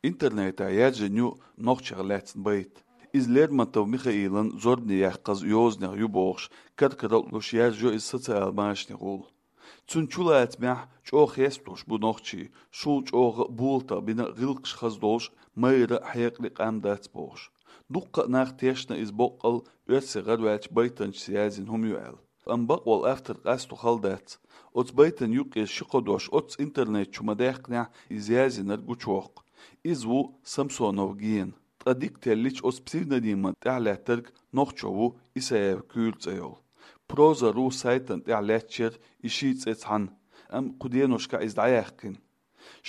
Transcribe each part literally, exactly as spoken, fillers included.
Интернетехь яьржина ю нохчех лаьцна байт. Иза Лермонтов Михаилан зорбане яьккхаза йозанех ю бохуш, каркараллуш яьржа йо иза социал машанехула. Цунна чулацамехь чӀогӀа хестош бу нохчий, шул чӀогӀа а болатах бина гӀиллакхаш хаза долуш, майра а, хьекъале а къам дац бохуш. Дуккха а нах тешна иза боккъал оьрсийн гӀараваьллачу байтанчаша язйина хӀума ю аьлла. Амма бакъволу автор къасто хала дац. Оцу байтан юккъера ши-кхо дош оццу интернет чу ма-даьккхинехь, иза язйинарг гучувоккху. Иза ву Самсонов Гена. Ткъа дика теллича, оцу псевдониман тӀехь лаьттарг нохчо ву, Исаев Куьйра цӀе йолу. Проза ру сайтана тӀехь лаьтташ яра и ши цӀе цхьаьна, амма кху деношкахь иза дӀаяьккхина.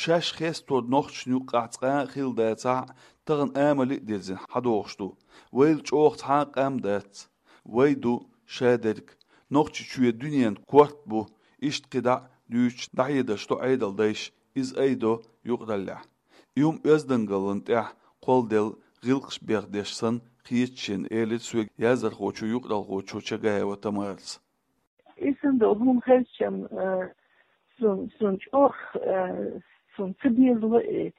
Шаьш хестор нохчашна юккъехь цкъа а хилла дацахь а, тахана амале а дирзина хьадогӀуш ду. Вайл чӀогӀа цхьа а къам дац. Вай ду шадерг. Нохчийчоь дуьненан корта бу, иштта кхидӀа а дуьйцуш дӀахьедарш до Ӏедалдайша, иза айдо юкъараллехь. И хӀума оьздангаллина тӀехь кхолладелла гӀиллакхаш беха деш санна хета шена, элира соьга яздархочо, юкъаралхочо Чагаева Тамарас. И санна долу хӀума хезча, э, сун, сун чӀогӀа, э, сун ца безало и,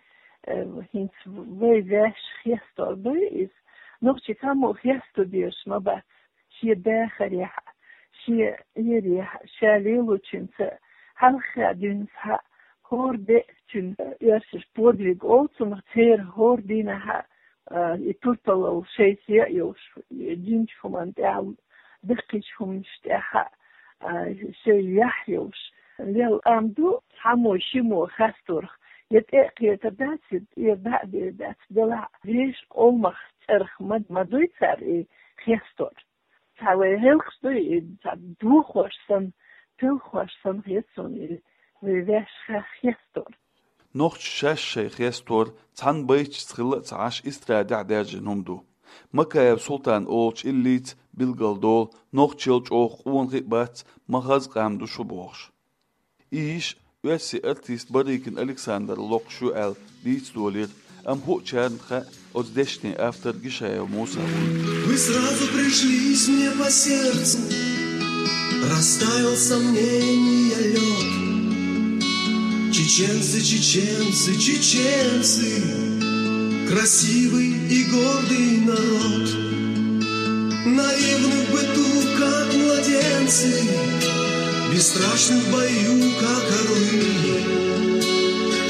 э, хӀинца вай ваьш хестор ду иза. Нохчий цхьаммо хесто дезаш ма бац. Шен дахарехь а, шен Ӏерехь а, ша лелочуьнца хьалха дуьйна схьа хӀора де а цуьнан, э, оьрсаша подвиг олу цунах, церан хӀора дийнахь а, а, и турпалалла шайца яа йолуш, и динчу хӀуманна тӀехь, даккхийчу хӀуманаш тӀехь а, а, шайн яхь йолуш. Лелла къам ду, цхьаммо шиммо хасторах я тӀе а кхетар дац, я тӀера дӀа а дер дац, делахь а вешан къомах цӀарах ма, ма дуй цара и хестор. Цхьа вай гӀиллакхаш ду и, цхьа дохош санна, пелхош санна хета суна и вай ваьш ха-, хестор. Нохчаша шаьш шайн хестор цхьана байташца хилла а ца Ӏаш, эстрадехь даьржина хӀума ду. Макаев Султана олучу иллица билгалдолу, нохчалла чӀогӀа къонахий а бац, ма хаза къам ду шу бохуш. И йиша оьрсийн артист Барыкин Александр локхуш ю аьлла дийца долийра, амма хӀуъачарна хаьа оцу дешнийн автор Гишаев Муса ву. Вы сразу пришлись мне по сердцу, растаял сомнения лёд. Чеченцы, чеченцы, чеченцы, красивый и гордый народ. Наивны в быту, как младенцы, бесстрашны в бою, как орлы.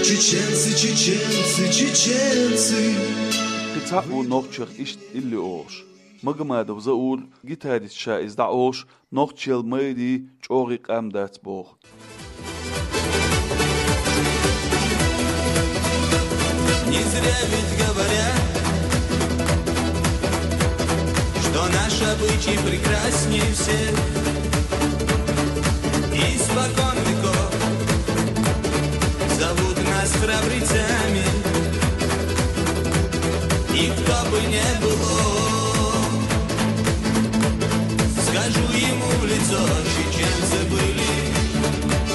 Чеченцы, чеченцы, чеченцы. Кхин цхьаъ ву нохчех иштта илли олуш. Магомадов Заур, гитарист, ша иза дӀаолуш, нохчалла майрий, чӀогӀий къам дац боху. Не зря ведь говорят, что наш обычай прекрасней всех. Испокон веков зовут нас храбрецами. И кто бы не было, скажу ему в лицо: чеченцы были,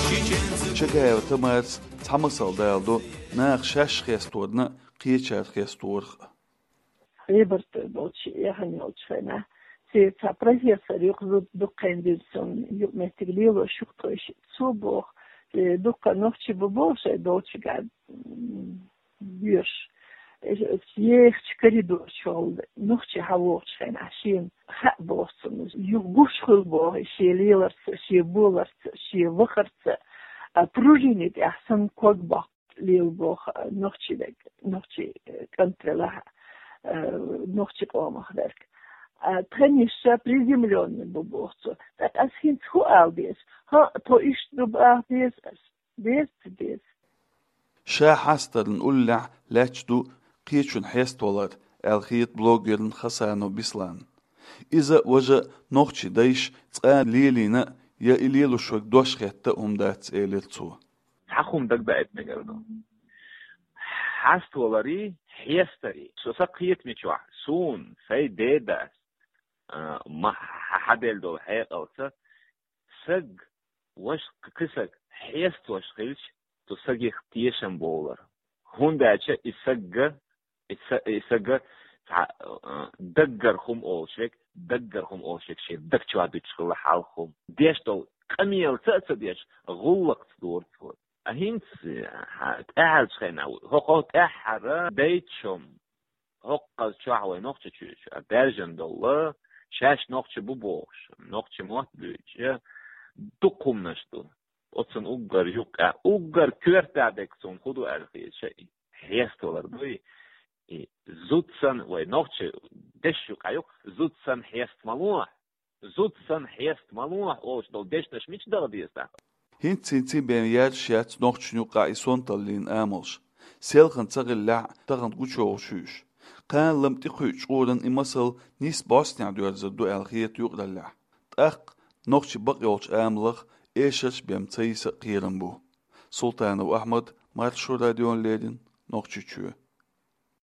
чеченцы. Чагаева Тамарас цхьа масал даладо наха шаьш хесторна а, кхечара хесторах а. Хьебарта болчу, яхана йолчу хенахь, церан цхьа профессор юкъа зуда дукха хан дира суна, юкъаметтиг лело шух тхойша. Цо боху, э, дуккха нохчий бу боху шайн долчуьнгахь, м, боьрша. Э, ехачу коридор чохь нохчий хьавогӀучу хенахь, шена хаьа боху цунна, юха гуш хуьлу боху шен леларца, шен боларца, шен вахарца, а, пружине тӀехь санна ког боккху лела боху, а, нохчий вег, нохчий, э, кӀант велахь, э, нохчий къомах верг. А, тхан йиша приземлённый бу боху цо. ТӀаккха ас хӀинца хӀун ала деза? ХӀаъ, тхо иштта ду баха деза ас. Деза ца деза. Ша хьастарна уллехь лаьтташ ду кхечун хьеставалар, аьлла хета блогерна Хасанов Бесланна. Иза, важа, нохчий дайша цкъа лелийна а, я и лелош верг дош хетта а хӀума дац, элира цо. Цхьа хӀума дагадоуьйту мегар ду. Хьаставаларий, хьестарий. Со сан кхетамечохь, суна, сайн дедас, а, ма хьа-, хьаделла долу хьекъалца, саг, важа кхин саг хьеставеш хилча, цу сагех тешам бовлар. ХӀунда аьлча и сагга, и са-, и сагга цхьа, а, даггара хӀума олуш верг, даггара хӀума олуш верг шен даг чохь дуьтуш хилла хьалха хӀума. Деш долу къамелаца а ца деш, гӀуллакхца дора цо. ХӀинца, хьа, тӀаьхьарчу хенахь, хӀокхо тӀаьххьара дейтта шо, хӀокхуза чохь вай Нохчийчоь а баьржина долу, шаьш нохчий бу бохуш, нохчийн мотт буьйцуш, дукха хӀуманаш ду. Оцунна уггар юккъехь, уггар коьрта дерг цунна хӀун ду аьлла хета шайна? Хьеставалар ду и. И зуда санна, вай нохчийн дешнаш юкъахь ю-кх, зуда санна хьеста ма ло. Зуда санна хьеста ма ло олуш долу дешнаш мича дала деза тӀаккха? ХӀинца-хӀинца бен яьржаш яц нохчашна юкъахь и сонталлин амалш. Селхана ца хиллехь а, тахана гучуйовлуш ю уьш. Кхана лама тӀекхуьучу чкъуран и масал нийсса бӀостанехь доьрзур ду аьлла хета юкъараллехь. ТӀаккха нохчийн бакъйолчу амалах эшарш бен ца йиса а кхерам бу. Султанов Ахьмад, Маршо радиона леррина, Нохчийчоь.